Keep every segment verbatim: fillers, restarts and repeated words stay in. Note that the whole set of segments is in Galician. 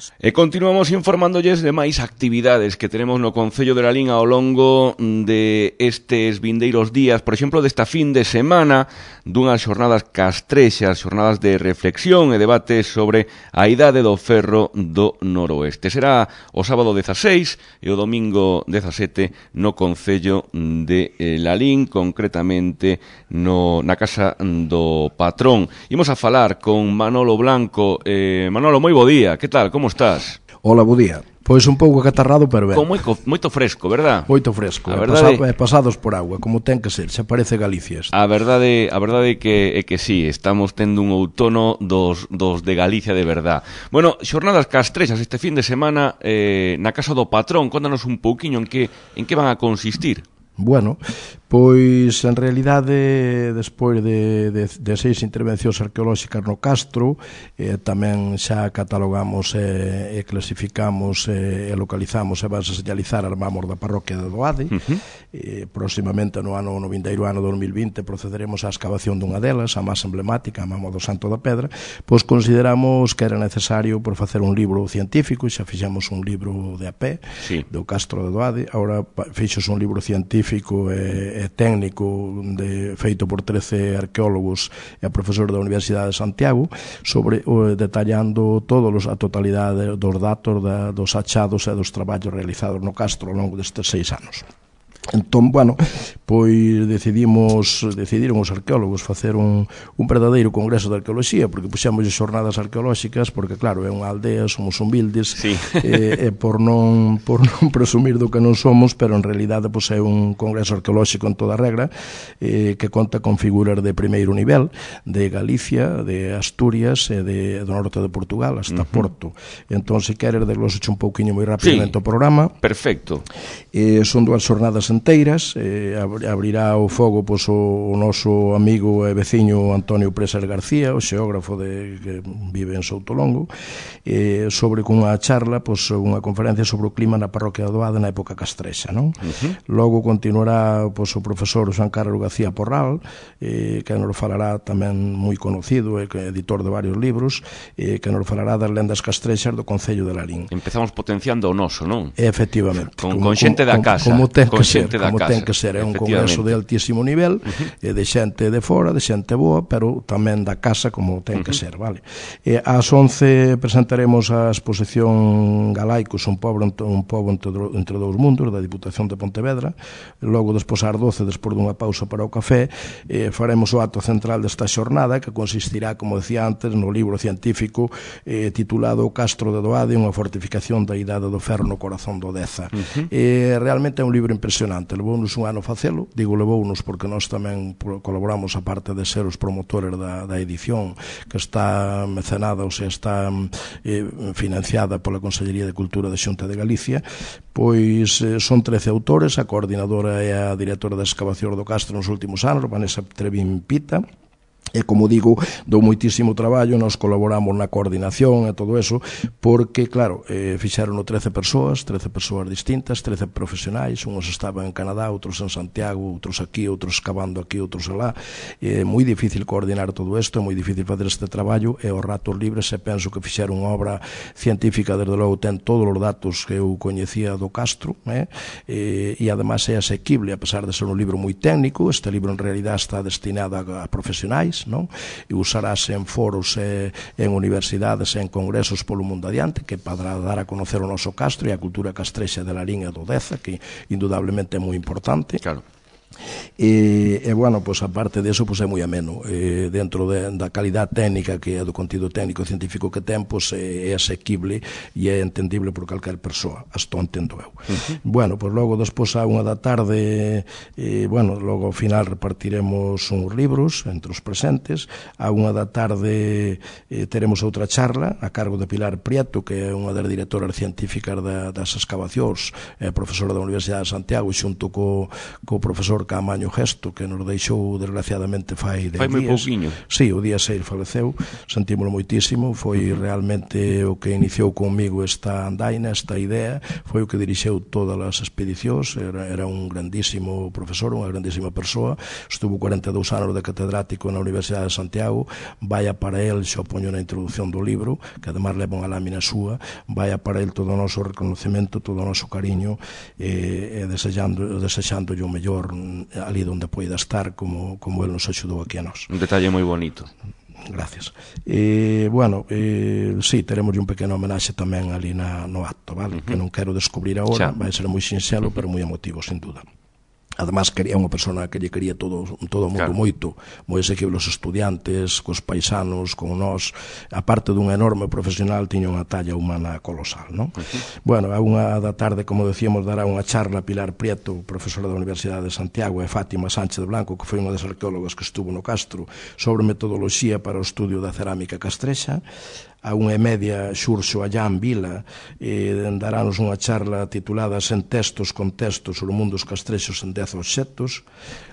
noches. E continuamos informándolles de máis actividades que tenemos no Concello de Lalín ao longo de estes vindeiros días, por exemplo, desta fin de semana, dunhas xornadas castrexas, xornadas de reflexión e debate sobre a idade do ferro do noroeste. Será o sábado dezaseis e o domingo dezasete no Concello de Lalín, concretamente no, na Casa do Patrón. Imos a falar con Manolo Blanco. Eh, Manolo, moi bo día, que tal, como estás? Hola, bo día. Pois un pouco acatarrado, pero ben. Con moi, moito fresco, verdad? Moito fresco, a e verdade... pasado, pasados por agua, como ten que ser, se parece Galicia. A verdade, a verdade é que, é que sí, estamos tendo un outono dos, dos de Galicia de verdad. Bueno, xornadas castrexas este fin de semana eh, na Casa do Patrón, contanos un pouquiño en que, en que van a consistir. Bueno, pois en realidade despois de, de, de seis intervencións arqueolóxicas no Castro, eh, tamén xa catalogamos e, e clasificamos e, e localizamos e vas a señalizar as mamos da parroquia de Doade. Uh-huh. eh, próximamente no ano no vindeiro ano dos mil vinte procederemos á excavación dunha delas, a máis emblemática, a mamo do Santo da Pedra. Pois consideramos que era necesario por facer un libro científico, xa fixemos un libro de a pé, sí, do Castro de Doade. Agora fixos un libro científico e, e técnico de, feito por trece arqueólogos e a profesor da Universidade de Santiago sobre o, detallando todos a totalidade dos datos da, dos achados e dos traballos realizados no Castro ao longo destes seis anos. Entón, bueno, pois decidimos, decidiron os arqueólogos facer un, un verdadeiro congreso de arqueoloxía, porque puxemos xornadas arqueolóxicas, porque claro, é unha aldea, somos humildes, sí. e, e por non por non presumir do que non somos, pero en realidade pois, é un congreso arqueolóxico en toda regra, eh, que conta con figuras de primeiro nivel, de Galicia, de Asturias e de, do norte de Portugal, hasta uh-huh. Porto. Entón, se queres, desglosache un pouquiño moi rapidamente sí. o programa. Perfecto. Eh, son dúas xornadas enteiras, eh, abrirá o fogo pois, o, o noso amigo e veciño Antonio Presas García, o xeógrafo de, que vive en Soutolongo, eh, sobre cunha charla, pois, unha conferencia sobre o clima na parroquia de Doade na época castrexa, non? Uh-huh. Logo continuará pois, o profesor Juan Carlos García Porral, eh, que nos falará tamén moi conocido, eh, editor de varios libros, eh, que nos falará das lendas castrexas do Concello de Lalín. Empezamos potenciando o noso, non? Efectivamente. Con, como, con xente da casa. Como ten con que ser. Como casa, ten que ser, é un congreso de altísimo nivel, uh-huh. de xente de fora, de xente boa, pero tamén da casa como ten que uh-huh. ser, vale? E ás once presentaremos a exposición Galaicos, un pobo, un pobo entre, entre dous mundos, da Diputación de Pontevedra. Logo, despois ás doce, despois dunha pausa para o café, eh, faremos o acto central desta xornada, que consistirá, como decía antes, no libro científico eh, titulado O Castro de Doade, unha fortificación da idade do ferro no corazón do Deza. Uh-huh. Eh, realmente é un libro impresionante. Levounos un ano facelo, digo levounos porque nós tamén colaboramos a parte de ser os promotores da, da edición, que está mecenada, ou sea, está eh, financiada pola Consellería de Cultura da Xunta de Galicia. Pois eh, son trece autores, a coordinadora e a directora da excavación do Castro nos últimos anos, Vanessa Trevín Pita. E, como digo, dou moitísimo traballo, nós colaboramos na coordinación e todo eso, porque, claro, eh, fixeron trece persoas, trece persoas distintas, trece profesionais, uns estaban en Canadá, outros en Santiago, outros aquí, outros excavando aquí, outros alá. É moi difícil coordinar todo isto, é moi difícil fazer este traballo, e os ratos libres, e penso que fixeron unha obra científica, desde logo ten todos os datos que eu coñecía do Castro, eh? e, e además é asequible, a pesar de ser un libro moi técnico. Este libro en realidad está destinado a, a profesionais, non? E usarase en foros e en universidades e en congresos polo mundo adiante, que para dar a conocer o noso Castro e a cultura castrexa de Lalín e do Deza, que indudablemente é moi importante. Claro. E, e bueno, pois aparte deso, pois é moi ameno, e, dentro de, da calidad técnica que é do contido técnico e científico que ten, pois é, é asequible e é entendible por calquer persoa, hasta entendo eu. Uh-huh. Bueno, pois logo despois a unha da tarde, e, bueno, logo ao final repartiremos uns libros entre os presentes. A unha da tarde e, teremos outra charla a cargo de Pilar Prieto, que é unha das directoras científicas da, das excavacións, é profesora da Universidade de Santiago, xunto co, co profesor profesor Caamaño Gesto, que nos deixou desgraciadamente fai dez días. Fai moi pouquiño. Sí, o día seis faleceu, sentímolo moitísimo, foi realmente o que iniciou comigo esta andaina, esta idea, foi o que dirixeu todas as expedicións, era, era un grandísimo profesor, unha grandísima persoa, estuvo cuarenta e dous anos de catedrático na Universidade de Santiago, vaya para el, xo poño na introducción do libro, que además leva unha lámina súa, vaya para el todo o noso reconocemento, todo o noso cariño, e, e desexando, desexándolle o mellor ali onde poida estar, como, como el nos axudou aquí a nós. Un detalle moi bonito. Gracias. E, bueno, eh, sí, teremos un pequeno homenaxe tamén ali na, no acto, vale? Uh -huh. Que non quero descubrir agora, vai ser moi sinxelo, pero moi emotivo, sin duda. Además, quería unha persona que lle quería todo, todo o mundo claro. moito, moi exequible os estudiantes, cos paisanos, con nós, aparte dun enorme profesional, tiña unha talla humana colosal, non? Uh -huh. Bueno, a unha da tarde, como decíamos, dará unha charla Pilar Prieto, profesora da Universidade de Santiago, e Fátima Sánchez Blanco, que foi unha das arqueólogas que estuvo no Castro, sobre metodoloxía para o estudio da cerámica castrexa. A unha e media Xurxo Allán Vila eh, darános unha charla titulada Sen textos, con textos sobre o mundo dos castrexos en dez obxectos.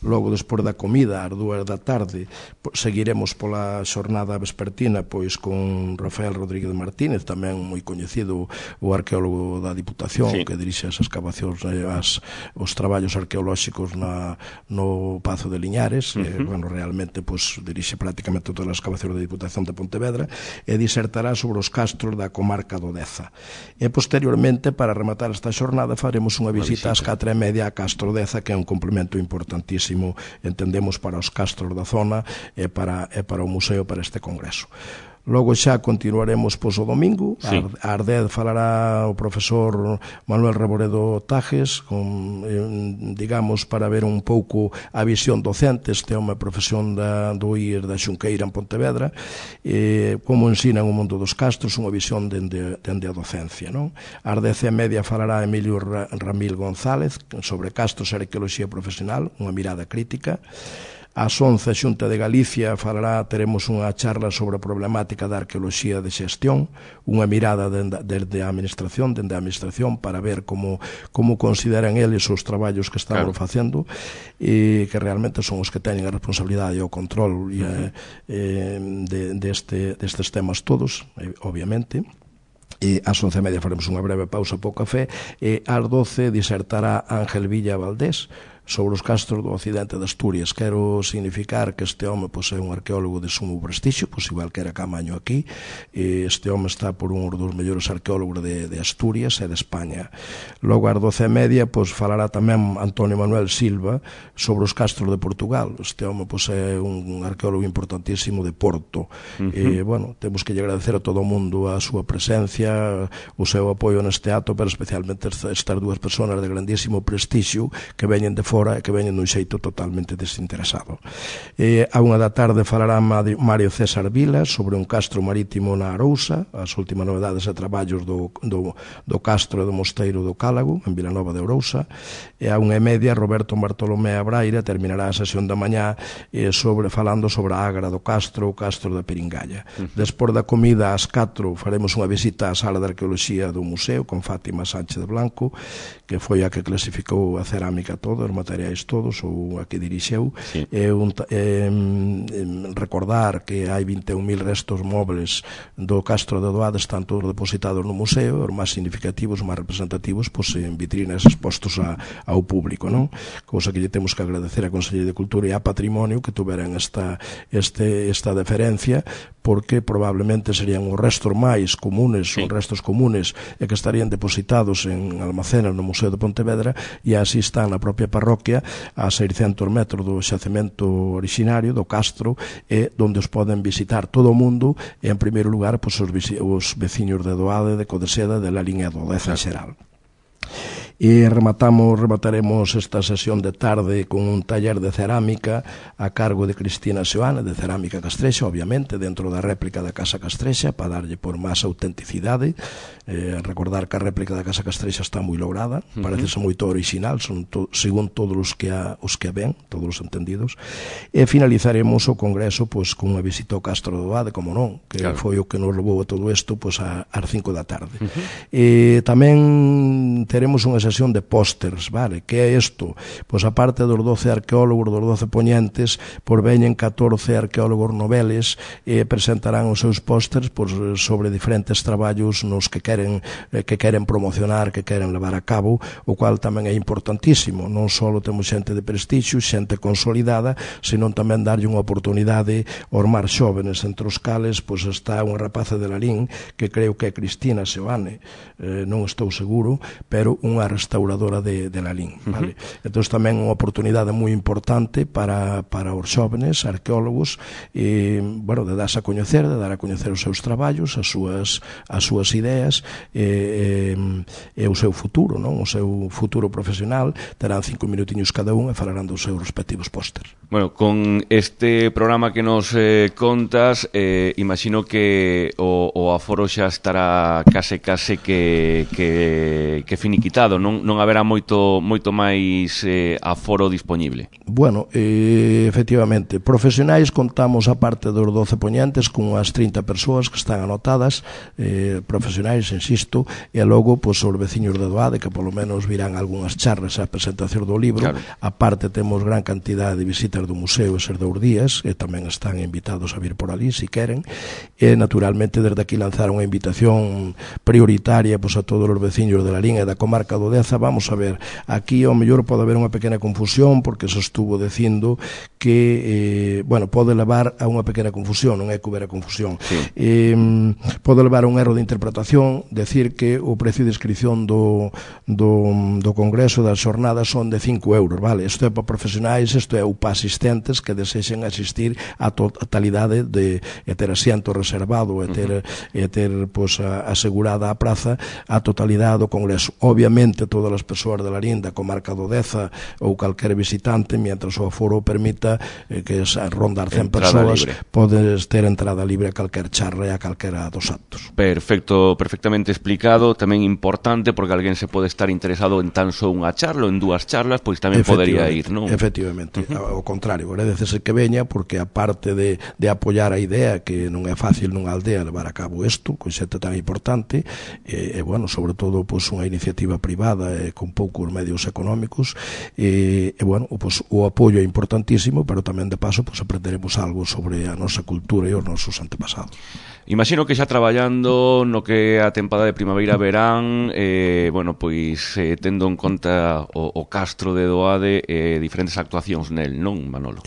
Logo, despois da comida, ás dúas da tarde, seguiremos pola xornada vespertina pois con Rafael Rodríguez Martínez, tamén moi coñecido, o arqueólogo da Diputación, sí. que dirixe as excavacións, as, os traballos arqueolóxicos na, no Pazo de Liñares. Uh -huh. eh, bueno, realmente pois, dirixe prácticamente todas as excavacións da Diputación de Pontevedra, e disertará sobre os castros da comarca do Deza. E posteriormente, para rematar esta xornada, faremos unha visita ás catro e media a Castro Deza, que é un complemento importantísimo, entendemos, para os castros da zona e para, e para o museo, para este congreso. Logo xa continuaremos pois o domingo, sí. a dez falará o profesor Manuel Reboredo Tajes, con, eh, digamos, para ver un pouco a visión docente, este é unha profesión da, do I E S da Xunqueira en Pontevedra, eh, como ensinan o mundo dos castros, unha visión dende, dende a docencia, non? A dez e media falará Emilio Ramil González sobre castros e arqueoloxía profesional, unha mirada crítica. Ás once, a Xunta de Galicia falará, teremos unha charla sobre a problemática da arqueoloxía de xestión, unha mirada desde a administración, dende a administración, para ver como, como consideran eles os traballos que estamos claro. facendo, e que realmente son os que teñen a responsabilidade e o control e, uh -huh. eh, de, de este, destes temas todos, eh, obviamente. E ás once e media faremos unha breve pausa para o café, e ás doce disertará Ángel Villa Valdés sobre os castros do occidente de Asturias. Quero significar que este home pois, é un arqueólogo de sumo prestixio, pois igual que era Caamaño aquí. Este home está por un dos mellores arqueólogos de, de Asturias e de España. Logo, ás doce e media, pois, falará tamén Antonio Manuel Silva sobre os castros de Portugal. Este home pois, é un arqueólogo importantísimo de Porto. Uh -huh. E, bueno, temos que lle agradecer a todo o mundo a súa presencia, o seu apoio neste acto, pero especialmente estas dúas persoas de grandísimo prestixio que veñen de fora e que veñen dun xeito totalmente desinteresado. Eh, a unha da tarde falará Mario César Vila sobre un castro marítimo na Arousa, as últimas novedades e traballos do, do, do castro e do mosteiro do Cálago, en Vilanova de Ourousa. E a unha e media, Roberto Bartolomé Abraira terminará a sesión da mañá eh, sobre, falando sobre a Agra do Castro, o Castro da Peringalla. Uh -huh. Despois da comida, ás catro, faremos unha visita á sala de arqueoloxía do museo con Fátima Sánchez Blanco, que foi a que clasificou a cerámica toda, os materiais todos, ou a que dirixeu. Sí. É un, é, recordar que hai vinte e un mil restos móveis do Castro de Doade, están todos depositados no museo, os máis significativos, os máis representativos, pois, en vitrinas expostos a, ao público, non? Cousa que lle temos que agradecer a Consellería de Cultura e a Patrimonio que tuveran esta, este, esta deferencia, porque probablemente serían os restos máis comunes, sí. os restos comunes, e que estarían depositados en almacenas no Museo de Pontevedra, e así están na propia parroquia a seiscentos metros do xacemento originario do Castro, e onde os poden visitar todo o mundo, e en primeiro lugar pois, os, os veciños de Doade, de Codeseda, de la liña do Deza en xeral. E rematamos, remataremos esta sesión de tarde con un taller de cerámica a cargo de Cristina Seoane, de cerámica castrexa, obviamente, dentro da réplica da Casa Castrexa, para darlle por máis autenticidade. Eh, recordar que a réplica da Casa Castrexa está moi lograda, parece ser moito original, son to, según todos os que a, os que a ven, todos os entendidos. E finalizaremos o congreso pois, con unha visita ao Castro do Doade, como non, que claro. foi o que nos levou a todo isto pois, a, ás cinco da tarde. Uh -huh. E tamén teremos unha sesión fabricación de pósters, vale? Que é isto? Pois a parte dos doce arqueólogos, dos doce poñentes, por veñen catorce arqueólogos noveles e presentarán os seus pósters pois, sobre diferentes traballos nos que queren que queren promocionar, que queren levar a cabo, o cual tamén é importantísimo. Non só temos xente de prestixio, xente consolidada, senón tamén darlle unha oportunidade aos máis xóvenes, entre os cales pois, está unha rapaza de Lalín, que creo que é Cristina Seoane, eh, non estou seguro, pero unha restauradora de, de Lalín, vale? Uh-huh. Entón tamén unha oportunidade moi importante para, para os xóvenes arqueólogos, e, bueno, de darse a coñecer, de dar a coñecer os seus traballos, as súas, as súas ideas, e, e, e o seu futuro, non? O seu futuro profesional. Terán cinco minutiños cada un e falarán dos seus respectivos pósters. Bueno, con este programa que nos eh, contas, eh, imagino que o, o aforo xa estará case case que, que, que finiquitado, non, non haberá moito, moito máis eh, aforo disponible. Bueno, eh, efectivamente, profesionais contamos a parte dos doce poñentes con unhas trinta persoas que están anotadas, eh, profesionais, insisto, e logo, pois, os veciños de Doade, que polo menos virán algunhas charlas á presentación do libro. Claro. A parte temos gran cantidad de visitas do museo eses dous días, e tamén están invitados a vir por ali, se queren, e naturalmente desde aquí lanzar unha invitación prioritaria pois, a todos os veciños de Lalín e da comarca do Deza. Vamos a ver, aquí ao mellor pode haber unha pequena confusión, porque se estuvo dicindo que, eh, bueno, pode levar a unha pequena confusión, non é que houbera confusión. Sí. Eh, pode levar a un erro de interpretación, decir que o precio de inscripción do, do, do Congreso das Xornadas son de cinco euros, vale? Isto é para profesionais, isto é para asistentes que desexen asistir a totalidade de e ter asiento reservado e ter, uh-huh. e ter pois, a, asegurada a praza a totalidade do Congreso. Obviamente todas as persoas de Lalín, da comarca do Deza ou calquer visitante, mientras o aforo permita eh, que es, rondar cen persoas, podes ter entrada libre a calquer charla e a calquera dos actos. Perfecto, perfectamente explicado. Tamén importante, porque alguén se pode estar interesado en tan só unha charla ou en dúas charlas, pois tamén podería ir, non? Efectivamente, uh-huh. Ao contrario, agradecese que veña, porque aparte de, de apoiar a idea, que non é fácil nunha aldea levar a cabo isto, con xente tan importante, e, e bueno, sobre todo, pois, unha iniciativa privada e con poucos medios económicos, e, e bueno, pois, o apoio é importantísimo, pero tamén de paso pois, aprenderemos algo sobre a nosa cultura e os nosos antepasados. Imagino que xa traballando no que a tempada de primavera-verán, eh, bueno, pois eh, tendo en conta o, o Castro de Doade e eh, diferentes actuacións nel, non, Manolo?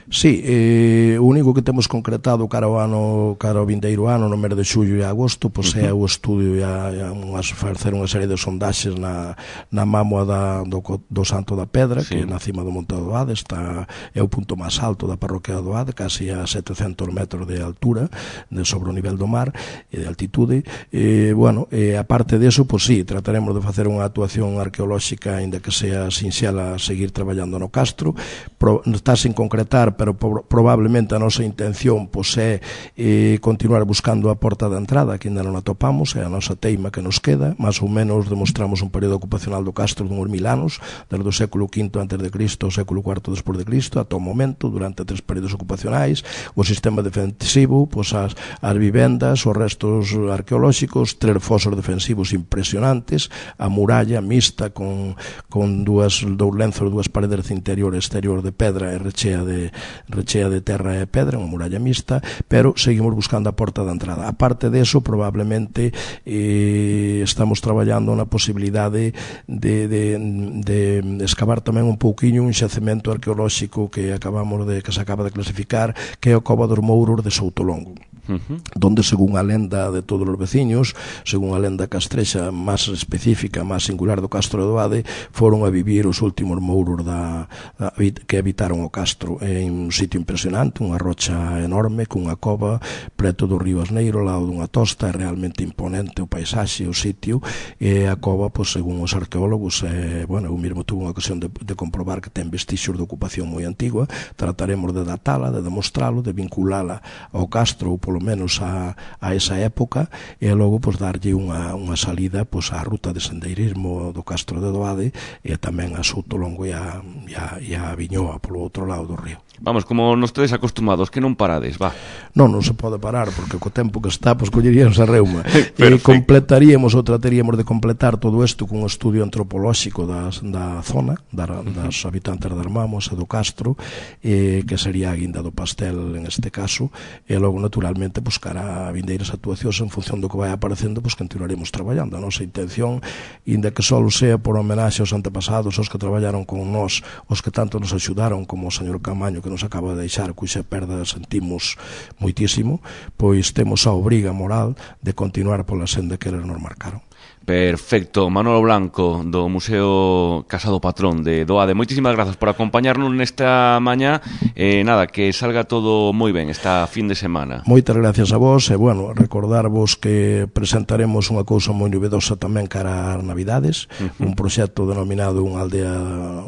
Sí, eh, o único que temos concretado cara ao ano, cara ao vindeiro ano, no mes de xullo e agosto, pois é o estudio e a, a unhas, facer unha serie de sondaxes na, na mámoa da, do, do Santo da Pedra, sí. Que é na cima do Monte do Doade, está, é o punto máis alto da parroquia do Doade, casi a setecentos metros de altura, de sobre o nivel do mar, e de altitude. E, bueno, e aparte deso, pois sí, trataremos de facer unha actuación arqueolóxica, ainda que sea sinxela, seguir traballando no Castro. Pro, está sin concretar, pero probablemente a nosa intención pois, é eh, continuar buscando a porta de entrada, que ainda non a topamos, é a nosa teima que nos queda. Más ou menos demostramos un período ocupacional do Castro de uns mil anos, desde o século quinto antes de Cristo ao século cuarto despois de Cristo, ata o momento, durante tres períodos ocupacionais, o sistema defensivo, pois, as, as vivendas, os restos arqueolóxicos, tres fosos defensivos impresionantes, a muralla mixta con, con dúas, dous lenzos, dúas paredes de interior e exterior de pedra e rechea de rechea de terra e pedra, unha muralla mixta, pero seguimos buscando a porta de entrada. A parte deso, probablemente eh, estamos traballando na posibilidade de, de, de excavar tamén un pouquiño un xacemento arqueolóxico que acabamos de que se acaba de clasificar, que é o Cova dos Mouros de Soutolongo. Uh-huh. Donde, según a lenda de todos os veciños, según a lenda castrexa máis específica, máis singular do Castro de Doade, foron a vivir os últimos mouros da, da, que habitaron o Castro, en un sitio impresionante, unha rocha enorme, cunha cova preto do río Asneiro, ao lado dunha tosta. É realmente imponente o paisaxe, o sitio, e a cova, pois, según os arqueólogos, eh, bueno, eu mesmo tuve unha ocasión de, de comprobar que ten vestixios de ocupación moi antigua. Trataremos de datala, de demostralo, de vinculala ao Castro, ou polo polo menos a, a esa época, e logo pois darlle unha, unha salida pois á ruta de sendeirismo do Castro de Doade e tamén a Soutolongo e a, e a, e a Viñoa polo outro lado do río. Vamos, como nos tedes acostumados, que non parades, va. Non, non se pode parar, porque co tempo que está, pois colleríamos a reuma. E completaríamos ou trataríamos de completar todo isto cun estudio antropolóxico das, da zona, da, das habitantes de Armamos e do Castro, eh, que sería a guinda do pastel en este caso, e logo naturalmente buscar a vindeiras actuacións en función do que vai aparecendo, pois continuaremos traballando. A nosa intención, inda que só sea por homenaxe aos antepasados, aos que traballaron con nós, os que tanto nos axudaron, como o señor Camaño, que nos acaba de deixar, cuxa perda sentimos moitísimo, pois temos a obriga moral de continuar pola senda que eles nos marcaron. Perfecto, Manolo Blanco do Museo Casa do Patrón de Doade, moitísimas grazas por acompañarnos nesta mañá, e eh, nada, que salga todo moi ben esta fin de semana. Moitas gracias a vos, e bueno, recordarvos que presentaremos unha cousa moi novedosa tamén cara ás Navidades, uh-huh. un proxecto denominado Unha aldea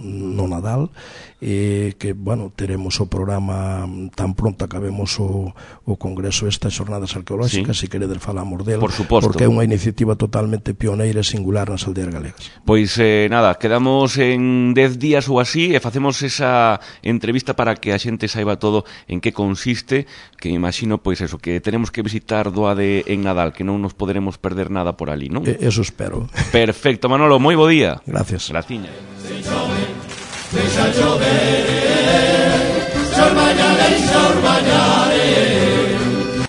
no Nadal, e que, bueno, teremos o programa tan pronto acabemos o, o congreso estas xornadas arqueolóxicas, sí. Se queredes falamos del, por suposto, porque é unha iniciativa totalmente pioneira e singular nas aldeas galegas. Pois eh, nada, quedamos en dez días ou así e facemos esa entrevista para que a xente saiba todo en que consiste, que me imagino, pois eso, que tenemos que visitar Doade en Nadal, que non nos poderemos perder nada por ali, non? Eh, eso espero. Perfecto, Manolo, moi bo día. Gracias. Graciña. Deixa chover, xor mañá, deixa xor mañá.